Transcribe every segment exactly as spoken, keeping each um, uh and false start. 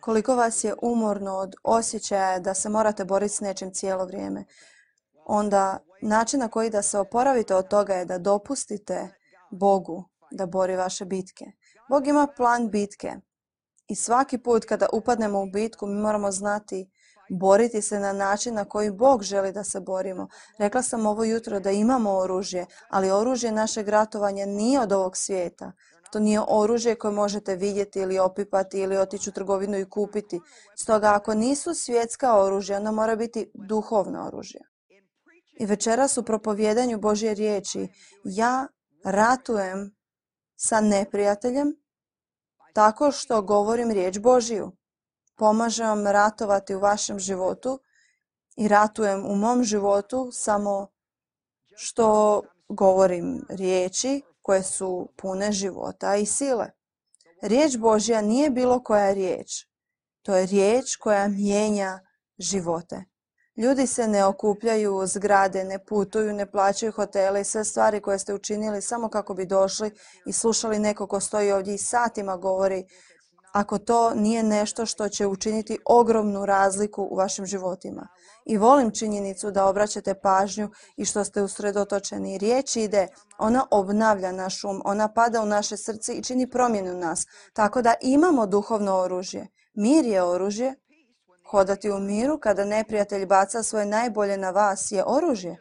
Koliko vas je umorno od osjećaja da se morate boriti s nečim cijelo vrijeme, onda način na koji da se oporavite od toga je da dopustite Bogu da bori vaše bitke. Bog ima plan bitke i svaki put kada upadnemo u bitku mi moramo znati boriti se na način na koji Bog želi da se borimo. Rekla sam ovo jutro da imamo oružje, ali oružje našeg ratovanja nije od ovog svijeta. To nije oružje koje možete vidjeti ili opipati ili otići u trgovinu i kupiti. Stoga ako nisu svjetska oružja, onda mora biti duhovno oružje. I večeras u propovjedanju Božje riječi ja ratujem sa neprijateljem tako što govorim riječ Božju. Pomažem vam ratovati u vašem životu i ratujem u mom životu samo što govorim riječi koje su pune života i sile. Riječ Božja nije bilo koja riječ. To je riječ koja mijenja živote. Ljudi se ne okupljaju u zgrade, ne putuju, ne plaćaju hotele i sve stvari koje ste učinili samo kako bi došli i slušali neko ko stoji ovdje i satima govori, ako to nije nešto što će učiniti ogromnu razliku u vašim životima. I volim činjenicu da obraćate pažnju i što ste usredotočeni. Riječ ide, ona obnavlja naš um, ona pada u naše srce i čini promjenu u nas. Tako da imamo duhovno oružje. Mir je oružje. Hodati u miru kada neprijatelj baca svoje najbolje na vas je oružje.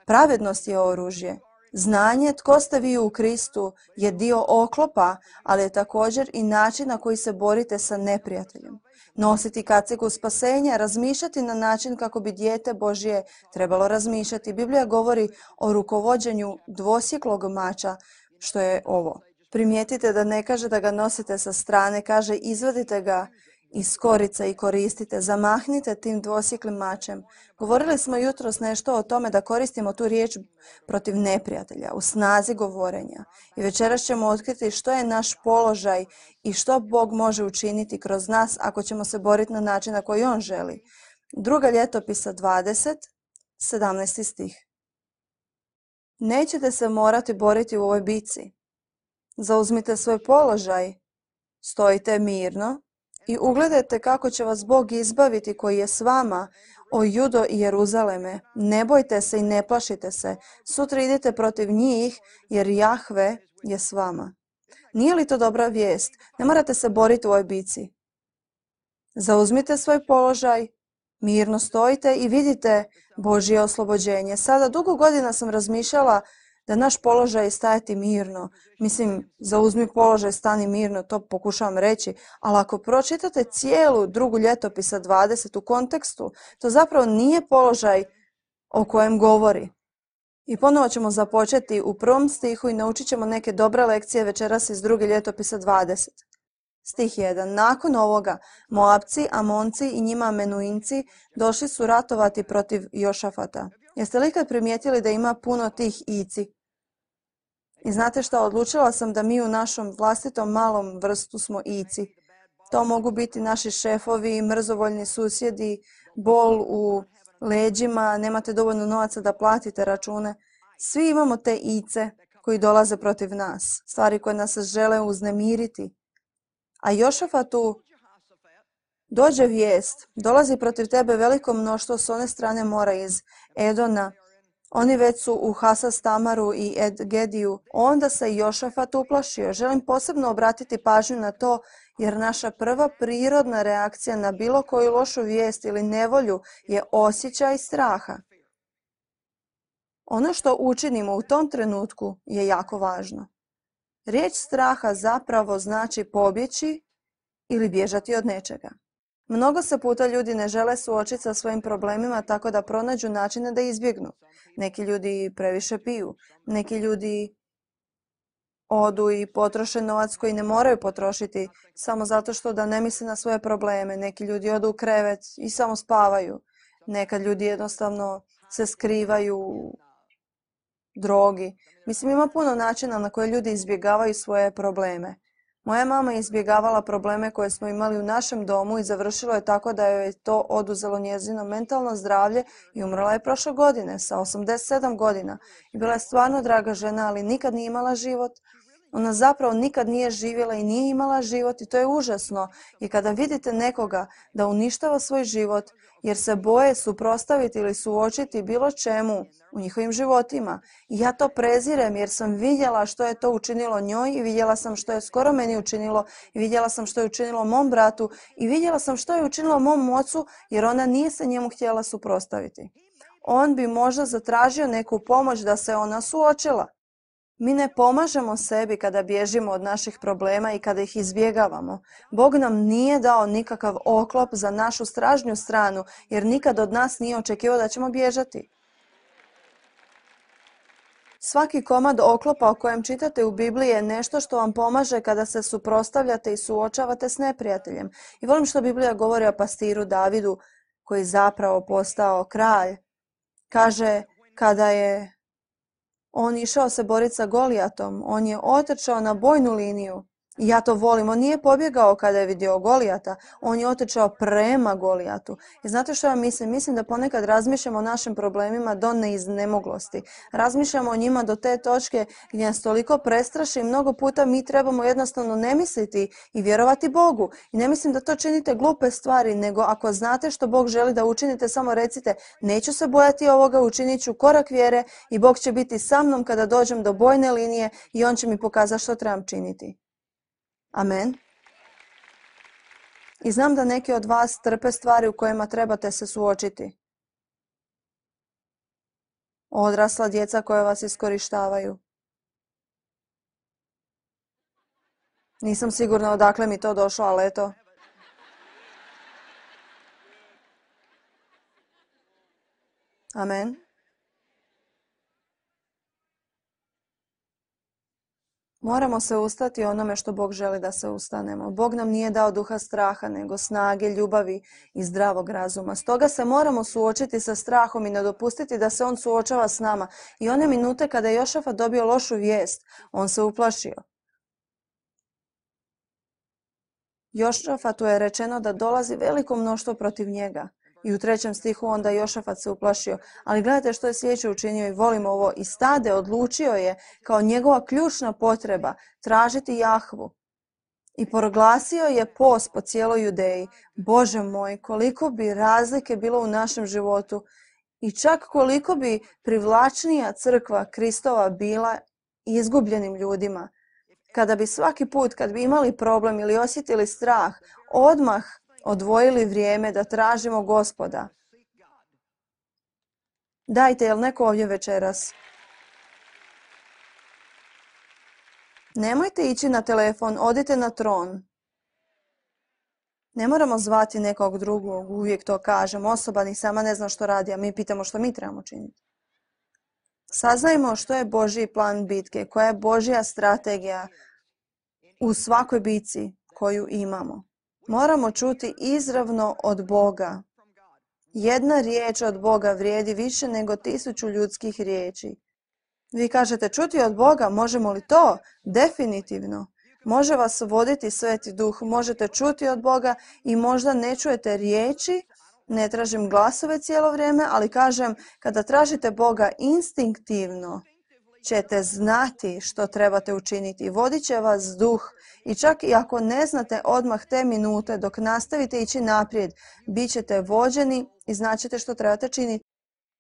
Pravednost je oružje. Znanje tko ste vi u Kristu je dio oklopa, ali je također i način na koji se borite sa neprijateljem. Nositi kacigu spasenja, razmišljati na način kako bi dijete Božje trebalo razmišljati. Biblija govori o rukovođenju dvosjeklog mača, što je ovo. Primijetite da ne kaže da ga nosite sa strane, kaže izvadite ga iz korica i koristite, zamahnite tim dvosjeklim mačem. Govorili smo jutros nešto o tome da koristimo tu riječ protiv neprijatelja, u snazi govorenja. I večeras ćemo otkriti što je naš položaj i što Bog može učiniti kroz nas ako ćemo se boriti na način na koji On želi. Druga ljetopisa dvadeset, sedamnaesti stih. Nećete se morati boriti u ovoj bici. Zauzmite svoj položaj, stojite mirno i ugledajte kako će vas Bog izbaviti koji je s vama, o Judo i Jeruzaleme. Ne bojte se i ne plašite se. Sutra idite protiv njih jer Jahve je s vama. Nije li to dobra vijest? Ne morate se boriti u ovoj bici. Zauzmite svoj položaj, mirno stojite i vidite Božje oslobođenje. Sada dugo godina sam razmišljala da naš položaj je stajati mirno. Mislim, zauzmi položaj, stani mirno, to pokušavam reći. Ali ako pročitate cijelu drugu ljetopisa dvadeset u kontekstu, to zapravo nije položaj o kojem govori. I ponovo ćemo započeti u prvom stihu i naučit ćemo neke dobre lekcije večeras iz druge ljetopisa dvadeset. Stih jedan. Nakon ovoga, Moabci, Amonci i njima Menuinci došli su ratovati protiv Jošafata. Jeste li ikad primijetili da ima puno tih ici? I znate šta, odlučila sam da mi u našom vlastitom malom vrstu smo ici. To mogu biti naši šefovi, mrzovoljni susjedi, bol u leđima, nemate dovoljno novaca da platite račune. Svi imamo te ice koji dolaze protiv nas, stvari koje nas žele uznemiriti. A Jošafatu dođe vijest, dolazi protiv tebe veliko mnoštvo s one strane mora iz Edona. Oni već su u Hasastamaru i Edgediju. Onda se Jošafat uplašio. Želim posebno obratiti pažnju na to, jer naša prva prirodna reakcija na bilo koju lošu vijest ili nevolju je osjećaj straha. Ono što učinimo u tom trenutku je jako važno. Riječ straha zapravo znači pobjeći ili bježati od nečega. Mnogo se puta ljudi ne žele suočiti sa svojim problemima tako da pronađu načine da izbjegnu. Neki ljudi previše piju, neki ljudi odu i potroše novac koji ne moraju potrošiti samo zato što da ne misle na svoje probleme. Neki ljudi odu u krevet i samo spavaju. Nekad ljudi jednostavno se skrivaju u drogi. Mislim, ima puno načina na koje ljudi izbjegavaju svoje probleme. Moja mama je izbjegavala probleme koje smo imali u našem domu i završilo je tako da joj je to oduzelo njezino mentalno zdravlje i umrla je prošle godine sa osamdeset sedam godina. I bila je stvarno draga žena, ali nikad nije imala život. Ona zapravo nikad nije živjela i nije imala život i to je užasno. I kada vidite nekoga da uništava svoj život jer se boje suprotstaviti ili suočiti bilo čemu u njihovim životima. I ja to prezirem jer sam vidjela što je to učinilo njoj i vidjela sam što je skoro meni učinilo i vidjela sam što je učinilo mom bratu i vidjela sam što je učinilo mom ocu jer ona nije se njemu htjela suprotstaviti. On bi možda zatražio neku pomoć da se ona suočila. Mi ne pomažemo sebi kada bježimo od naših problema i kada ih izbjegavamo. Bog nam nije dao nikakav oklop za našu stražnju stranu, jer nikad od nas nije očekivao da ćemo bježati. Svaki komad oklopa o kojem čitate u Bibliji je nešto što vam pomaže kada se suprotstavljate i suočavate s neprijateljem. I volim što Biblija govori o pastiru Davidu, koji je zapravo postao kralj. Kaže, kada je on išao se boriti sa Golijatom, on je otrčao na bojnu liniju. I ja to volim, on nije pobjegao kada je vidio Golijata, on je otrčao prema Golijatu. I znate što ja mislim? Mislim da ponekad razmišljamo o našim problemima do neiznemoglosti. Razmišljamo o njima do te točke gdje nas toliko prestraši i mnogo puta mi trebamo jednostavno ne misliti i vjerovati Bogu. I ne mislim da to činite glupe stvari, nego ako znate što Bog želi da učinite, samo recite neću se bojati ovoga, učinit ću korak vjere i Bog će biti sa mnom kada dođem do bojne linije i On će mi pokazati što trebam činiti. Amen. I znam da neki od vas trpe stvari u kojima trebate se suočiti. Odrasla djeca koja vas iskorištavaju. Nisam sigurna odakle mi to došlo, ali eto. Amen. Moramo se ustati onome što Bog želi da se ustanemo. Bog nam nije dao duha straha, nego snage, ljubavi i zdravog razuma. Stoga se moramo suočiti sa strahom i ne dopustiti da se on suočava s nama. I one minute kada je Jošafat dobio lošu vijest, on se uplašio. Jošafatu je rečeno da dolazi veliko mnoštvo protiv njega. I u trećem stihu onda Jošafat se uplašio. Ali gledajte što je sljedeće učinio i volim ovo. I stade odlučio je kao njegova ključna potreba tražiti Jahvu. I proglasio je post po cijeloj Judeji. Bože moj, koliko bi razlike bilo u našem životu i čak koliko bi privlačnija crkva Kristova bila izgubljenim ljudima. Kada bi svaki put, kad bi imali problem ili osjetili strah, odmah odvojili vrijeme da tražimo Gospoda. Dajte, jel neko ovdje večeras? Nemojte ići na telefon, odite na tron. Ne moramo zvati nekog drugog, uvijek to kažem. Osoba ni sama ne zna što radi, a mi pitamo što mi trebamo činiti. Saznajmo što je Božji plan bitke, koja je Božja strategija u svakoj bitci koju imamo. Moramo čuti izravno od Boga. Jedna riječ od Boga vrijedi više nego tisuću ljudskih riječi. Vi kažete, čuti od Boga, možemo li to? Definitivno. Može vas voditi Sveti Duh, možete čuti od Boga i možda ne čujete riječi, ne tražim glasove cijelo vrijeme, ali kažem, kada tražite Boga instinktivno, ćete znati što trebate učiniti. Vodit će vas duh i čak i ako ne znate odmah te minute, dok nastavite ići naprijed, bit ćete vođeni i znaćete što trebate činiti.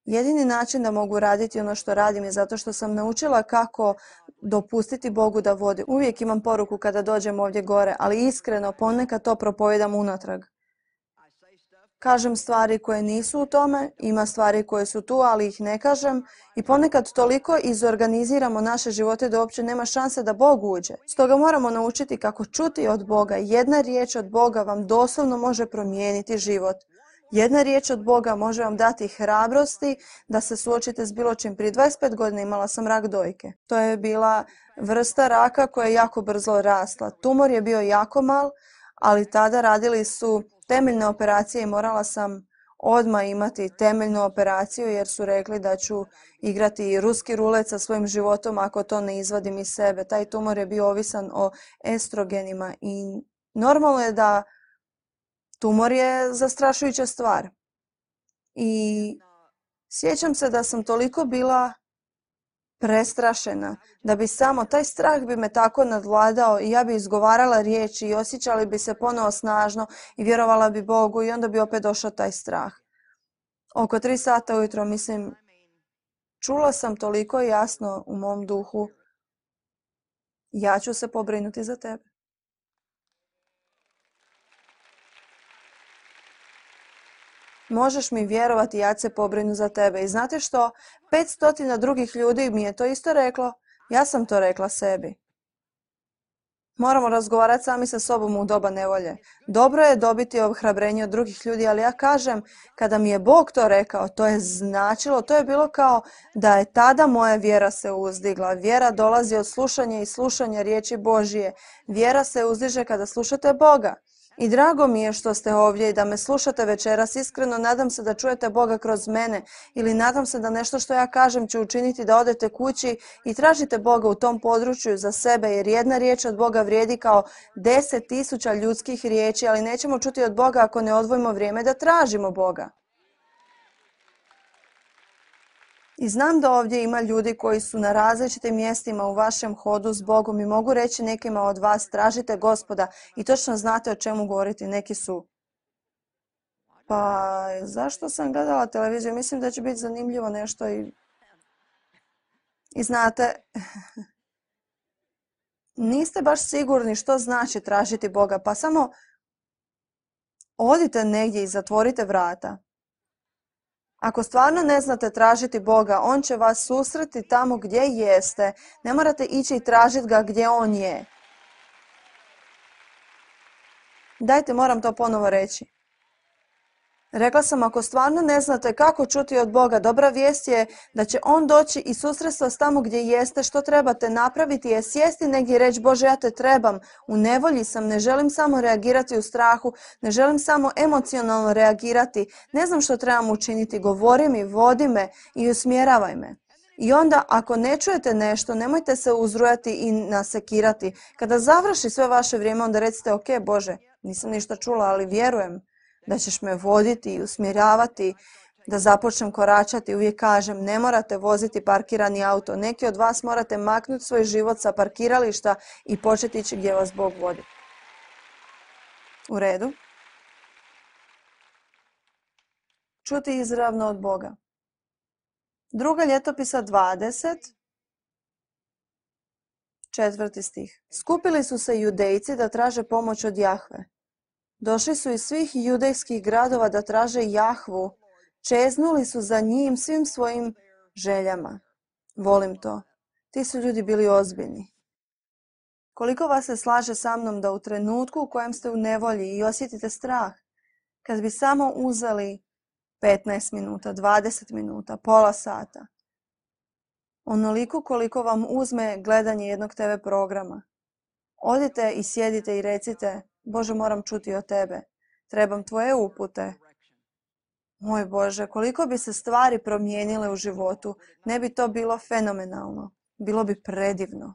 Jedini način da mogu raditi ono što radim je zato što sam naučila kako dopustiti Bogu da vodi. Uvijek imam poruku kada dođem ovdje gore, ali iskreno ponekad to propovedam unatrag. Kažem stvari koje nisu u tome, ima stvari koje su tu, ali ih ne kažem i ponekad toliko izorganiziramo naše živote da uopće nema šanse da Bog uđe. Stoga moramo naučiti kako čuti od Boga. Jedna riječ od Boga vam doslovno može promijeniti život. Jedna riječ od Boga može vam dati hrabrosti da se suočite s bilo čim. Prije dvadeset pet godina imala sam rak dojke. To je bila vrsta raka koja je jako brzo rasla. Tumor je bio jako mal, ali tada radili su temeljne operacije i morala sam odmah imati temeljnu operaciju jer su rekli da ću igrati ruski rulet sa svojim životom ako to ne izvadim iz sebe. Taj tumor je bio ovisan o estrogenima i normalno je da tumor je zastrašujuća stvar. I sjećam se da sam toliko bila prestrašena, da bi samo taj strah bi me tako nadvladao i ja bi izgovarala riječi i osjećali bi se ponovo snažno i vjerovala bi Bogu i onda bi opet došao taj strah. Oko tri sata ujutro, mislim, čula sam toliko jasno u mom duhu, ja ću se pobrinuti za tebe. Možeš mi vjerovati, ja ću se pobrinu za tebe. I znate što? petsto drugih ljudi mi je to isto reklo. Ja sam to rekla sebi. Moramo razgovarati sami sa sobom u doba nevolje. Dobro je dobiti ohrabrenje od drugih ljudi, ali ja kažem, kada mi je Bog to rekao, to je značilo, to je bilo kao da je tada moja vjera se uzdigla. Vjera dolazi od slušanja i slušanja riječi Božije. Vjera se uzdiže kada slušate Boga. I drago mi je što ste ovdje i da me slušate večeras. Iskreno nadam se da čujete Boga kroz mene ili nadam se da nešto što ja kažem će učiniti da odete kući i tražite Boga u tom području za sebe, jer jedna riječ od Boga vrijedi kao deset tisuća ljudskih riječi, ali nećemo čuti od Boga ako ne odvojimo vrijeme da tražimo Boga. I znam da ovdje ima ljudi koji su na različitim mjestima u vašem hodu s Bogom i mogu reći nekima od vas tražite Gospoda i točno znate o čemu govoriti. Neki su. Pa zašto sam gledala televiziju? Mislim da će biti zanimljivo nešto i, i znate, niste baš sigurni što znači tražiti Boga, pa samo odite negdje i zatvorite vrata. Ako stvarno ne znate tražiti Boga, On će vas susreti tamo gdje jeste. Ne morate ići i tražiti ga gdje On je. Dajte, moram to ponovo reći. Rekla sam, ako stvarno ne znate kako čuti od Boga, dobra vijest je da će On doći i susresti vas tamo gdje jeste. Što trebate napraviti je sjesti negdje i reći, Bože, ja te trebam, u nevolji sam, ne želim samo reagirati u strahu, ne želim samo emocionalno reagirati, ne znam što trebam učiniti, govori mi, vodi me i usmjeravaj me. I onda, ako ne čujete nešto, nemojte se uzrujati i nasekirati. Kada završi sve vaše vrijeme, onda recite, ok, Bože, nisam ništa čula, ali vjerujem da ćeš me voditi i usmjeravati, da započnem koračati. Uvijek kažem, ne morate voziti parkirani auto. Neki od vas morate maknuti svoj život sa parkirališta i početi ići gdje vas Bog vodi. U redu. Čuti izravno od Boga. Druga ljetopisa dvadeset, četvrti stih. Skupili su se Judejci da traže pomoć od Jahve. Došli su iz svih judejskih gradova da traže Jahvu. Čeznuli su za njim svim svojim željama. Volim to. Ti su ljudi bili ozbiljni. Koliko vas se slaže sa mnom da u trenutku u kojem ste u nevolji i osjetite strah, kad bi samo uzeli petnaest minuta, dvadeset minuta, pola sata, onoliko koliko vam uzme gledanje jednog te ve programa, odite i sjedite i recite, Bože, moram čuti od tebe, trebam tvoje upute. Moj Bože, koliko bi se stvari promijenile u životu, ne bi to bilo fenomenalno, bilo bi predivno.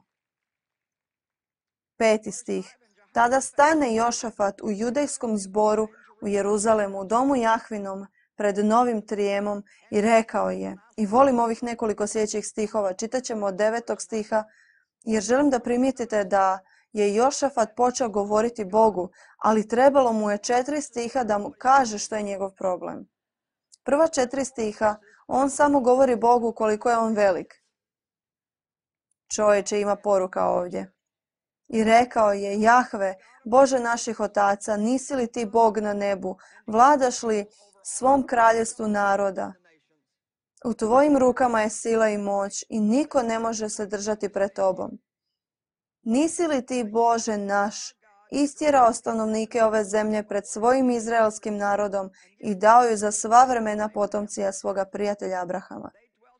Peti stih. Tada stane Jošafat u judejskom zboru u Jeruzalemu, u domu Jahvinom, pred novim trijemom i rekao je, i volim ovih nekoliko sljedećih stihova, čitat ćemo od devetog stiha, jer želim da primijetite da je Jošafat počeo govoriti Bogu, ali trebalo mu je četiri stiha da mu kaže što je njegov problem. Prva četiri stiha, on samo govori Bogu koliko je on velik. Čovječe, ima poruka ovdje. I rekao je, Jahve, Bože naših otaca, nisi li ti Bog na nebu, vladaš li svom kraljevstvu naroda? U tvojim rukama je sila i moć i niko ne može se držati pred tobom. Nisi li ti, Bože naš, istjerao stanovnike ove zemlje pred svojim izraelskim narodom i dao ju za sva vremena potomcija svoga prijatelja Abrahama?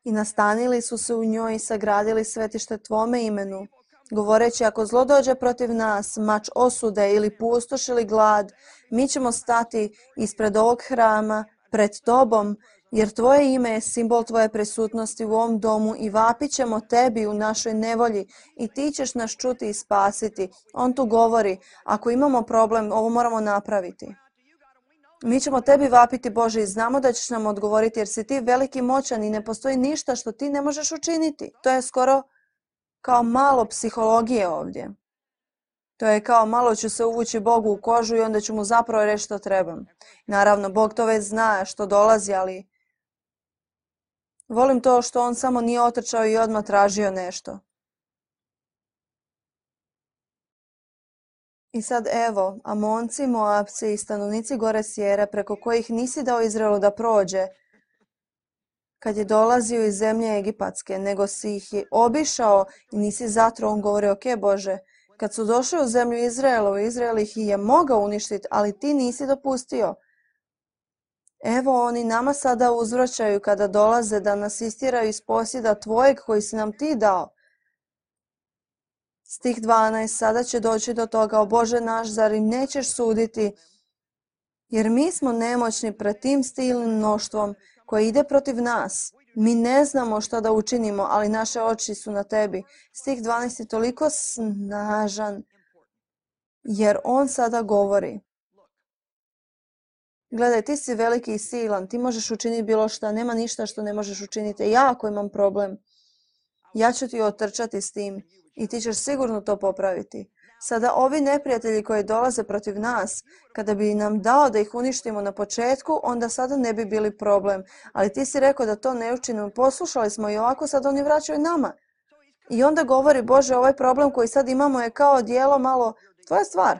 I nastanili su se u njoj i sagradili svetište tvome imenu, govoreći, ako zlo dođe protiv nas, mač osude ili pustoš ili glad, mi ćemo stati ispred ovog hrama pred tobom, jer tvoje ime je simbol tvoje prisutnosti u ovom domu i vapit ćemo tebi u našoj nevolji i ti ćeš nas čuti i spasiti. On tu govori, ako imamo problem, ovo moramo napraviti. Mi ćemo tebi vapiti, Bože, i znamo da ćeš nam odgovoriti jer si ti veliki moćan i ne postoji ništa što ti ne možeš učiniti. To je skoro kao malo psihologije ovdje. To je kao malo ću se uvući Bogu u kožu i onda ću mu zapravo reći što trebam. Naravno, Bog to već zna što dolazi, ali volim to što on samo nije otrčao i odmah tražio nešto. I sad evo, Amonci, Moabci i stanovnici gore Sjere, preko kojih nisi dao Izraelu da prođe, kad je dolazio iz zemlje Egipatske, nego si ih je obišao i nisi zatro, on govori, ok Bože, kad su došli u zemlju Izraelu, Izrael ih je mogao uništiti, ali ti nisi dopustio. Evo oni nama sada uzvraćaju kada dolaze da nas istjeraju iz posjeda tvojeg koji si nam ti dao. Stih dvanaest, sada će doći do toga, o Bože naš, zar im nećeš suditi? Jer mi smo nemoćni pred tim silnim mnoštvom koje ide protiv nas. Mi ne znamo što da učinimo, ali naše oči su na tebi. Stih dvanaest je toliko snažan, jer on sada govori. Gledaj, ti si veliki i silan, ti možeš učiniti bilo šta, nema ništa što ne možeš učiniti. Ja ako imam problem, ja ću ti otrčati s tim i ti ćeš sigurno to popraviti. Sada ovi neprijatelji koji dolaze protiv nas, kada bi nam dao da ih uništimo na početku, onda sada ne bi bili problem. Ali ti si rekao da to ne učinimo, poslušali smo i ovako sad oni vraćaju nama. I onda govori, Bože, ovaj problem koji sad imamo je kao dijelo malo tvoja stvar.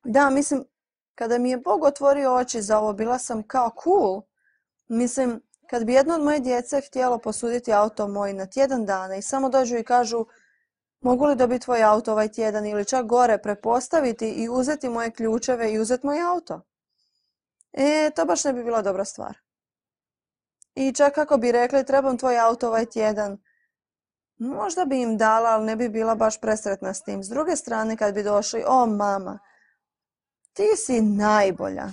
Da, mislim, kada mi je Bog otvorio oči za ovo, bila sam kao cool. Mislim, kad bi jedno od moje djece htjelo posuditi auto moj na tjedan dana i samo dođu i kažu mogu li dobiti tvoj auto ovaj tjedan ili čak gore prepostaviti i uzeti moje ključeve i uzeti moj auto. E, to baš ne bi bila dobra stvar. I čak ako bi rekli trebam tvoj auto ovaj tjedan, možda bi im dala, ali ne bi bila baš presretna s tim. S druge strane, kad bi došli, o mama, ti si najbolja.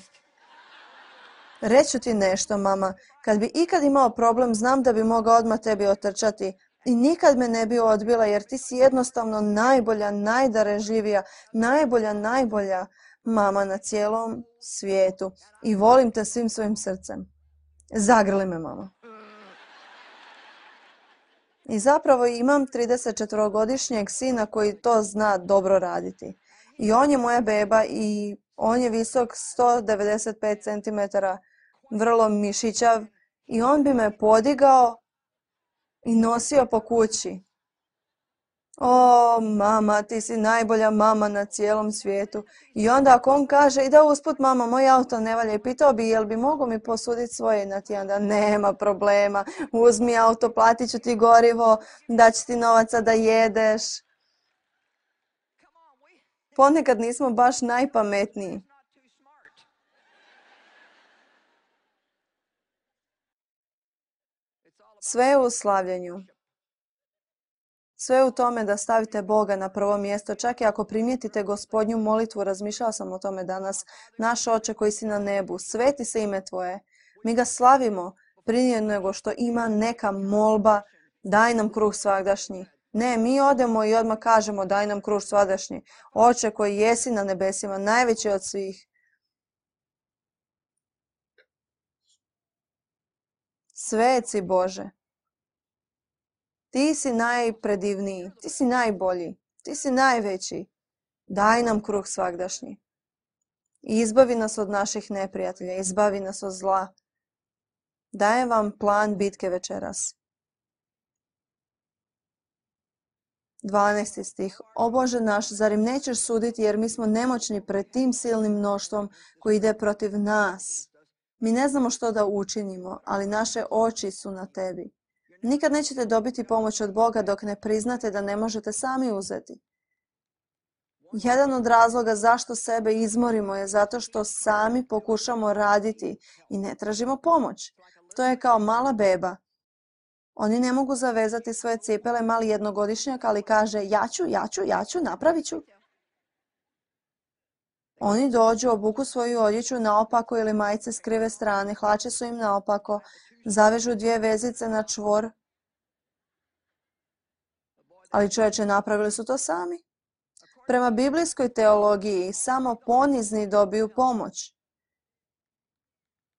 Reću ti nešto, mama, kad bi ikad imao problem, znam da bi mogao odmah tebi otrčati i nikad me ne bi odbila, jer ti si jednostavno najbolja, najdarežljivija, najbolja, najbolja mama na cijelom svijetu i volim te svim svojim srcem. Zagrli me, mama. I zapravo imam tridesetčetvorogodišnjeg sina koji to zna dobro raditi. I on je moja beba i on je visok sto devedeset pet centimetara, vrlo mišićav i on bi me podigao i nosio po kući. O, mama, ti si najbolja mama na cijelom svijetu. I onda ako on kaže, i da usput mama, moj auto ne valja, i pitao bi, jel bi mogo mi posuditi svoje na tjedan? Da, nema problema, uzmi auto, platit ću ti gorivo, daću ti novaca da jedeš. Ponekad nismo baš najpametniji. Sve je u slavljenju. Sve je u tome da stavite Boga na prvo mjesto. Čak i ako primijetite Gospodnju molitvu, razmišljala sam o tome danas, naš Oče koji si na nebu, sveti se ime Tvoje. Mi ga slavimo prije nego što ima neka molba, daj nam kruh svagdašnji. Ne, mi odemo i odmah kažemo daj nam kruh svagdašnji. Oče koji jesi na nebesima, najveći od svih. Sveci Bože. Ti si najpredivniji, ti si najbolji, ti si najveći. Daj nam kruh svagdašnji. I izbavi nas od naših neprijatelja, izbavi nas od zla. Dajem vam plan bitke večeras. dvanaesti stih. O Bože naš, zar im nećeš suditi jer mi smo nemoćni pred tim silnim mnoštvom koji ide protiv nas. Mi ne znamo što da učinimo, ali naše oči su na tebi. Nikad nećete dobiti pomoć od Boga dok ne priznate da ne možete sami uzeti. Jedan od razloga zašto sebe izmorimo je zato što sami pokušamo raditi i ne tražimo pomoć. To je kao mala beba. Oni ne mogu zavezati svoje cipele, mali jednogodišnjak, ali kaže ja ću, ja ću, ja ću, napravit ću. Oni dođu, obuku svoju odjeću naopako ili majice s krive strane, hlače su im naopako, zavežu dvije vezice na čvor. Ali čovječe, napravili su to sami. Prema biblijskoj teologiji samo ponizni dobiju pomoć.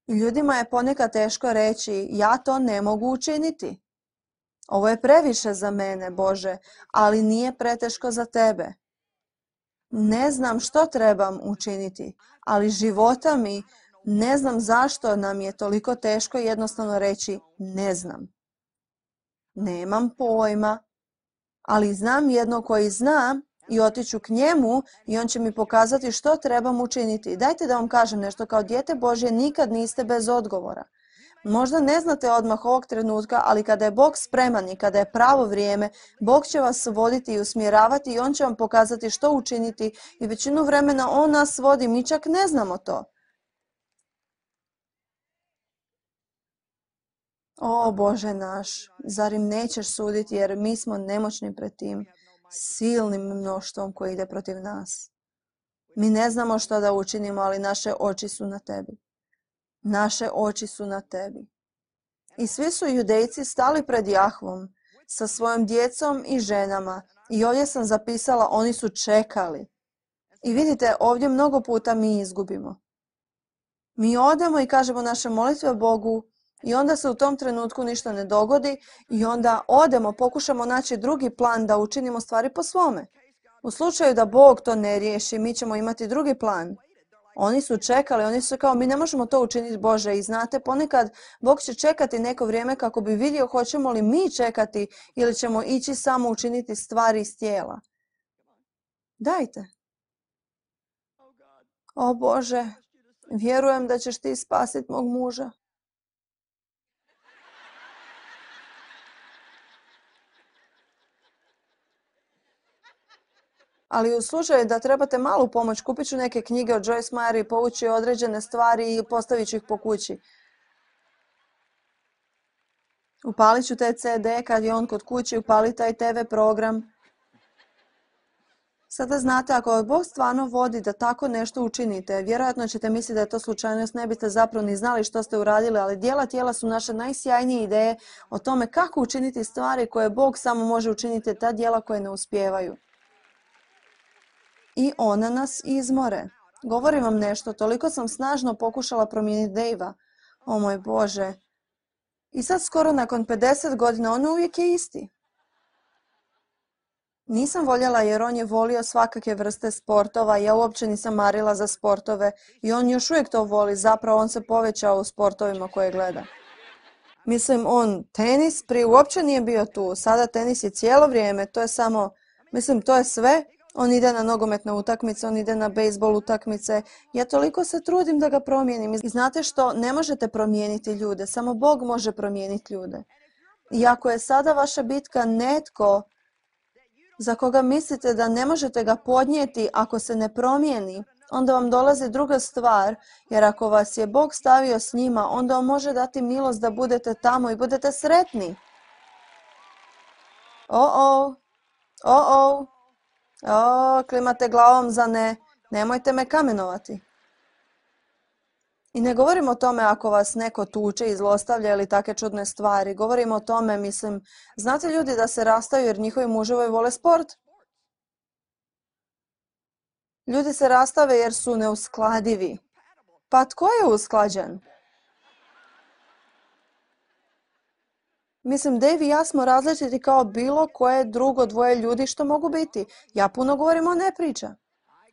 I ljudima je ponekad teško reći, ja to ne mogu učiniti. Ovo je previše za mene, Bože, ali nije preteško za tebe. Ne znam što trebam učiniti, ali života mi, ne znam zašto nam je toliko teško jednostavno reći ne znam. Nemam pojma, ali znam jedno koji zna i otiću k njemu i on će mi pokazati što trebam učiniti. Dajte da vam kažem nešto, kao dijete Božje nikad niste bez odgovora. Možda ne znate odmah ovog trenutka, ali kada je Bog spreman i kada je pravo vrijeme, Bog će vas voditi i usmjeravati i On će vam pokazati što učiniti i većinu vremena On nas vodi, mi čak ne znamo to. O Bože naš, zar im nećeš suditi jer mi smo nemoćni pred tim silnim mnoštvom koji ide protiv nas. Mi ne znamo što da učinimo, ali naše oči su na tebi. Naše oči su na tebi. I svi su judejci stali pred Jahvom sa svojom djecom i ženama. I ovdje sam zapisala, oni su čekali. I vidite, ovdje mnogo puta mi izgubimo. Mi odemo i kažemo naše molitve Bogu i onda se u tom trenutku ništa ne dogodi i onda odemo, pokušamo naći drugi plan da učinimo stvari po svome. U slučaju da Bog to ne riješi, mi ćemo imati drugi plan. Oni su čekali, oni su kao mi ne možemo to učiniti Bože i znate ponekad Bog će čekati neko vrijeme kako bi vidio hoćemo li mi čekati ili ćemo ići samo učiniti stvari iz tijela. Dajte. O Bože, vjerujem da ćeš ti spasiti mog muža. Ali u slučaju da trebate malu pomoć, kupit ću neke knjige od Joyce Meyer i povući određene stvari i postavit ću ih po kući. Upalit ću te ce de kad je on kod kući, upali taj te ve program. Sada znate, ako Bog stvarno vodi da tako nešto učinite, vjerojatno ćete misliti da je to slučajnost, ne biste zapravo ni znali što ste uradili, ali djela tijela su naše najsjajnije ideje o tome kako učiniti stvari koje Bog samo može učiniti, ta djela koje ne uspijevaju. I ona nas izmore. Govorim vam nešto, toliko sam snažno pokušala promijeniti Dejva. O moj Bože. I sad skoro nakon pedeset godina on uvijek je isti. Nisam voljela jer on je volio svakakve vrste sportova, ja uopće nisam marila za sportove i on još uvijek to voli, zapravo on se povećao u sportovima koje gleda. Mislim, on tenis prije uopće nije bio tu, sada tenis je cijelo vrijeme, to je samo, mislim, to je sve. On ide na nogometne utakmice, on ide na bejsbol utakmice. Ja toliko se trudim da ga promijenim. I znate što? Ne možete promijeniti ljude, samo Bog može promijeniti ljude. I ako je sada vaša bitka netko za koga mislite da ne možete ga podnijeti ako se ne promijeni, onda vam dolazi druga stvar, jer ako vas je Bog stavio s njima, onda on može dati milost da budete tamo i budete sretni. O-o, o-o. O, klimate glavom za ne, nemojte me kamenovati. I ne govorim o tome ako vas neko tuče i zlostavlja ili take čudne stvari. Govorim o tome, mislim, znate ljudi da se rastaju jer njihovi muževi vole sport? Ljudi se rastave jer su neuskladivi. Pa tko je usklađen? Mislim, Dave i ja smo različiti kao bilo koje drugo dvoje ljudi što mogu biti. Ja puno govorim, on ne priča.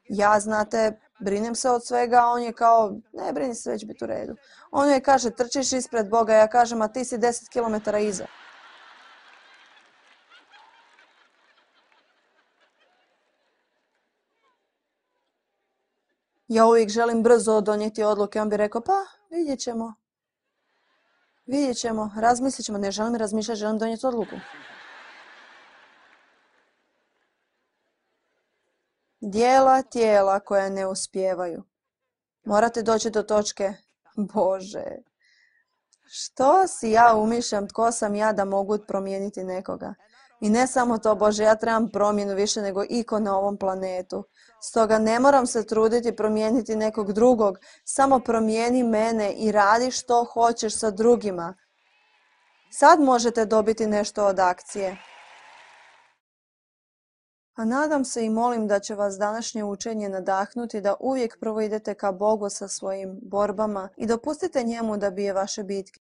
Ja, znate, brinem se od svega, a on je kao, ne brini se, već biti u redu. On je kaže, trčiš ispred Boga, ja kažem, a ti si deset kilometara iza. Ja uvijek želim brzo donijeti odluke, on bi rekao, pa vidjet ćemo. Vidjet ćemo, razmislit ćemo, ne želim razmišljati, želim donijeti odluku. Dijela tijela koja ne uspijevaju. Morate doći do točke, Bože, što si ja umišljam, tko sam ja da mogu promijeniti nekoga? I ne samo to, Bože, ja trebam promjenu više nego iko na ovom planetu. Stoga ne moram se truditi promijeniti nekog drugog, samo promijeni mene i radi što hoćeš sa drugima. Sad možete dobiti nešto od akcije. A nadam se i molim da će vas današnje učenje nadahnuti da uvijek prvo idete ka Bogu sa svojim borbama i dopustite njemu da bije vaše bitke.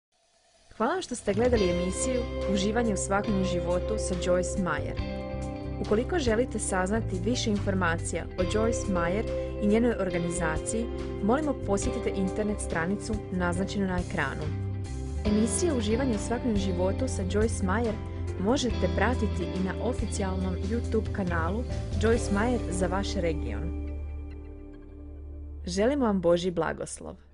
Hvala vam što ste gledali emisiju Uživanje u svakodnevnom životu sa Joyce Meyer. Ukoliko želite saznati više informacija o Joyce Meyer i njenoj organizaciji, molimo posjetite internet stranicu naznačenu na ekranu. Emisije Uživanje u svakodnevnom životu sa Joyce Meyer možete pratiti i na oficijalnom YouTube kanalu Joyce Meyer za vaš region. Želimo vam Božji blagoslov.